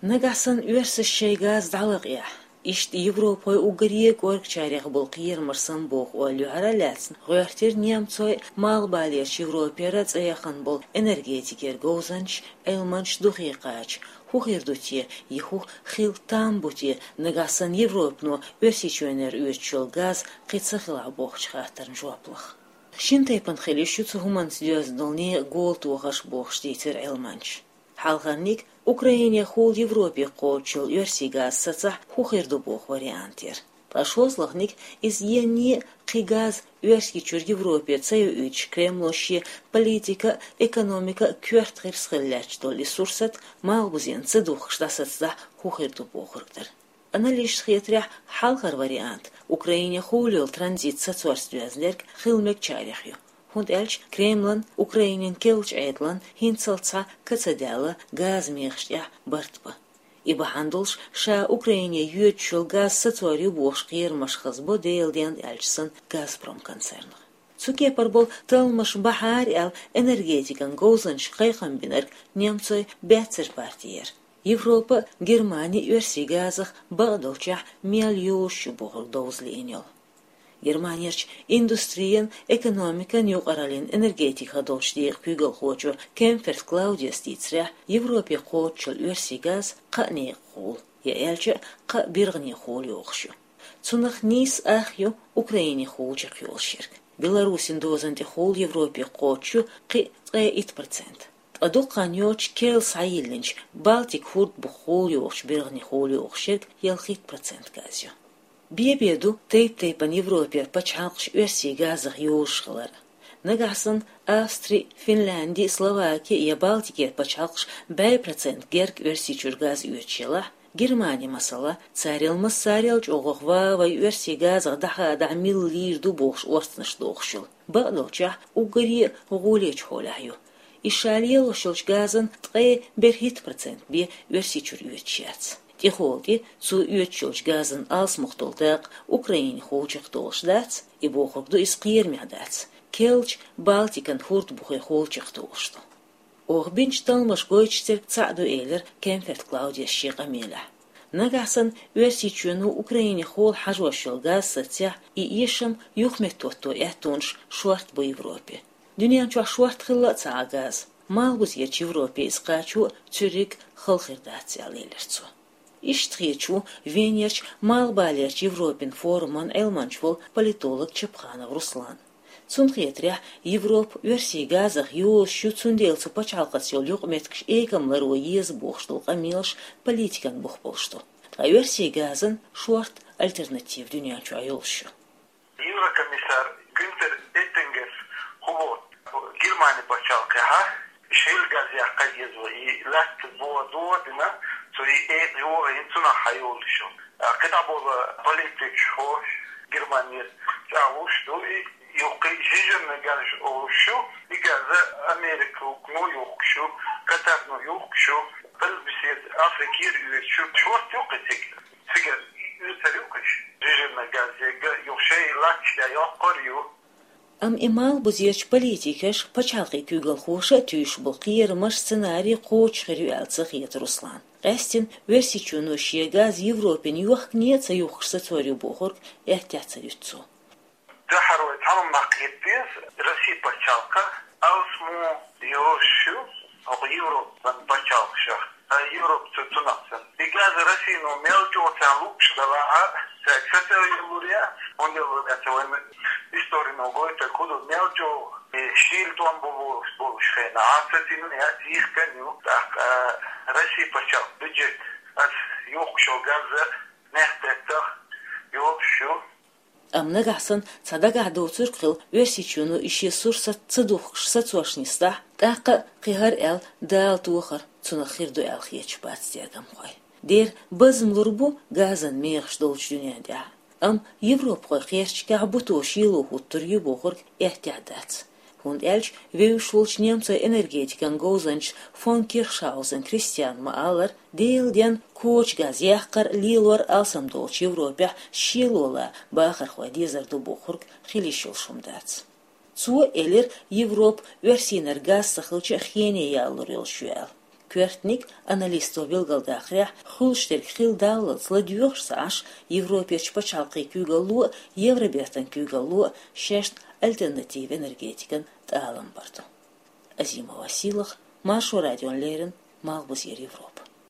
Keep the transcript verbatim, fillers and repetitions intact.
Нагахь санна оьрсаша шоай газ дӀалакъехь, иштта европахой уггаре кӀорггачарех болу кхерамаш санна боху ойла юьхьара а лаьцна, гӀоьртира немцойн а, Малхбалерчу Европера а цӀе яхана болу энергетикера говзанчаш, Ӏилманчаш духе кхача, хӀун хир ду те, и хӀу хила там бу те, нагахь санна Европано Оьрсийчоьнера оьцуш йолу газ кхин ца хилахь бохучу хаттарна жоп лаха. Шина тайпана хила йиш ю цу хӀуманца доьзна долу некъан гола тохарш бохуш дийцира Ӏилманчаша. Хьалхарниг, Украинехула Европе кхочуш йолу оьрсийн газ сацахь, хӀун хир ду боху вариант яра. Ткъа шозлагӀниг, иза енне а кхин газ Оьрсийчуьра Европе ца йоуьйтуш, Кремло шен политика а, экономика а коьрта хирс хила лаьтташ долу и сурсат Малхбузенна ца духкуш дӀасацадахь, хӀун хир ду бохург дара. Аналитикашна хетарехь, хьалхара вариант Украинехула йолу транзит сацорца доьзна дерг хила мегачарех ю. ХӀунда аьлча Кремлан Украинин керлачу Ӏедалан хӀинццалц цхьа ка ца даьлла газан мехаш тӀехь барт бан. И бахьана долуш ша Украине йоьдуш йолу газ сацор ю бохуш кхерамаш хазбо Делан денна аьлча санна Газпром концернах. Цу кепара болу талламаш бахьара аьлла, энергетикан говзанчаша кхайкхам бинарг немцойн баьццара партия яра. Европа а, Германи а оьрсийн газах бакъдолчехь мел йозуш ю бохург довза лиъна йолу. Германерчу индустрин, экономикан, юкъараллин, энергетикин долчу декъан куьйгалхочо Кемферт Клаудиас дийцарехь, Европе кхочуш йолу оьрсийн газ кхаа некъахула, я аьлча а кхаа биргӀанехула йогӀуш ю. Цунах нийсса ах ю Украинехула чекхйолуш ерг. Беларусин дозан тӀехула Европе кхочуш ю кхин а ткъе итт процент. Ткъа дукха хан йоццуш керла схьайиллинчу Балтик хӀорд бухахула йогӀучу биргӀанехула йогӀуш ерг ялхитта процент газ ю. Бе-бе ду тайп-тайпана Европера пачхьалкхаш оьрсийн газах йозуш хилар. Нагахь санна Австри, Финлянди, Словаки я Балтикера пачхьалкхаш бӀе процент герга Оьрсийчуьра газ оьцуш елахь, Германи, масала, царел массарел чӀогӀах ван вай оьрсийн газах дӀахадахь милла лийр ду бохуш орцанаш дохуш йолу. Бакъдолчехь уггаре а гӀолечу хьолехь ю. И ша лелош йолчу газан ткъе берхӀитта процент бен Оьрсийчуьра оьцуш яц. ТӀехула тӀе цо оьцуш йолчу газан алсамох долу дакъа Украинехула чекхдолуш дац, и бохург ду иза кхерамехь дац. Керлачу Балтикан хӀорд бухехула чекхдолуш ду. Оха бинчу талламаша гойтуш церг цхьаъ ду, элира Кемферт Клаудиас шен къамелехь. Нагахь санна Оьрсийчоьно Украинехула хьажош йолу газ сацахь, и эшам юхаметтахӀотто аьттонаш шорта бу Европе. Дуьнен чохь шорта хилла а ца Ӏа газ. Малхбузерчу Европе иза кхачо а цуьрриг хала хир дац аьлла, элира цо. Иштта хеташ ву Венерчу Малхбалерчу Европин форуман Ӏилманча волу политолог Чапханов Руслан. Цунна хетарехь, Европа оьрсийн газах йозуш ю, цундела цу пачхьалкхаца йолу юкъаметтигаш экам ларо еза бохуш долу къамелаш политикан бух болуш ду. Ткъа оьрсийн газан шорта альтернатива дуьнен чохь йолуш ю. Еврокомиссар Гюнтер Эттингерс хӀун боху Германи пачхьалкхехь, шел газ яккха еза вай, и лаьтта бо додина, цо и экъа йогӀийна, цунах хьайолуш ю. А кхидӀа болу политикаш хӀорш Германера чӀагӀлуш ду, и юккъе жижигна газ олуш ю, и газ Американо юхкуш ю, Катарно юхкуш ю, Белбисет Африкера оьцуш ю, шорта юккъе цига. Цигара оьцур ю кхиш, жижигна газ, ега юха шайн латташ тӀе йоккхур ю. Амма и Малхбузерчу политикаша, пачхьалкхийн куьйгалхоша а туьйсуш болу кхерамаш, сценарий кхочуш хир ю аьлла ца хета Руслана. Къаьстина Оьрсийчоьно шен газ Европина йохкане а ца юхкуш сацор ю бохург эттехь ца дуьту цо. Тахьара вай цхьа хӀума ма кхета деза, Россия пачхьалкх алсамо йозуш ю хӀокху Европан пачхьалкхашах. Ткъа Европа цу цунах санна. И газ Россино мел чӀогӀа царна луъуш далахь а, цаьрга сацо йиллур яц, хӀунда аьлча вайна историно гойтург хӀун ду, мел чӀогӀа и шийла тӀом бу болуш хенахь, сацийна яц, йихкина ю. ТӀаккха Россия пачхьалкхан бюджет аса юхкуш йолу газ а мехкдаьттах йолуш ю. Амма нагахь санна цхьа дагахь доцург хилла, Оьрсийчоьно и шен сурсат ца духкуш сацош нисдахь, тӀаккха а кхин хӀара аьлла Дала тохар цунах хир ду аьлла хеташ бац тергамхой. Дера, базам лур бу газан мехаш долчу дуьнен тӀехь. Амма европахой кхерчигехь буто шело хӀуттур ю бохург эттехь дац. ХӀунда аьлча вевзаш волчу немцойн энергетикан говзанча фон Кирхшаузен Кристиана ма-аллара, Делан денна коча газ яккхар а, лелор а алсам долчу Европехь шело лан бахархой дезар ду бохург хила йиш йолуш хӀума дац. Цо элира, Европа оьрсийнара газ ца хилча а хене ялалур йолуш ю аьлла. Коьртаниг, аналисто билгалдаккхарехь, хуьлуш дерг хилла даллалц ладоьгӀуш ца Ӏаш, Европерчу пачхьалкхийн куьйгалло а, Евробертан куьйгалло а шайна альтернатива энергетикан тӀалам бар ду. Азимова Сийлаха, Маршо радиона леррина, Малхбузера Европа.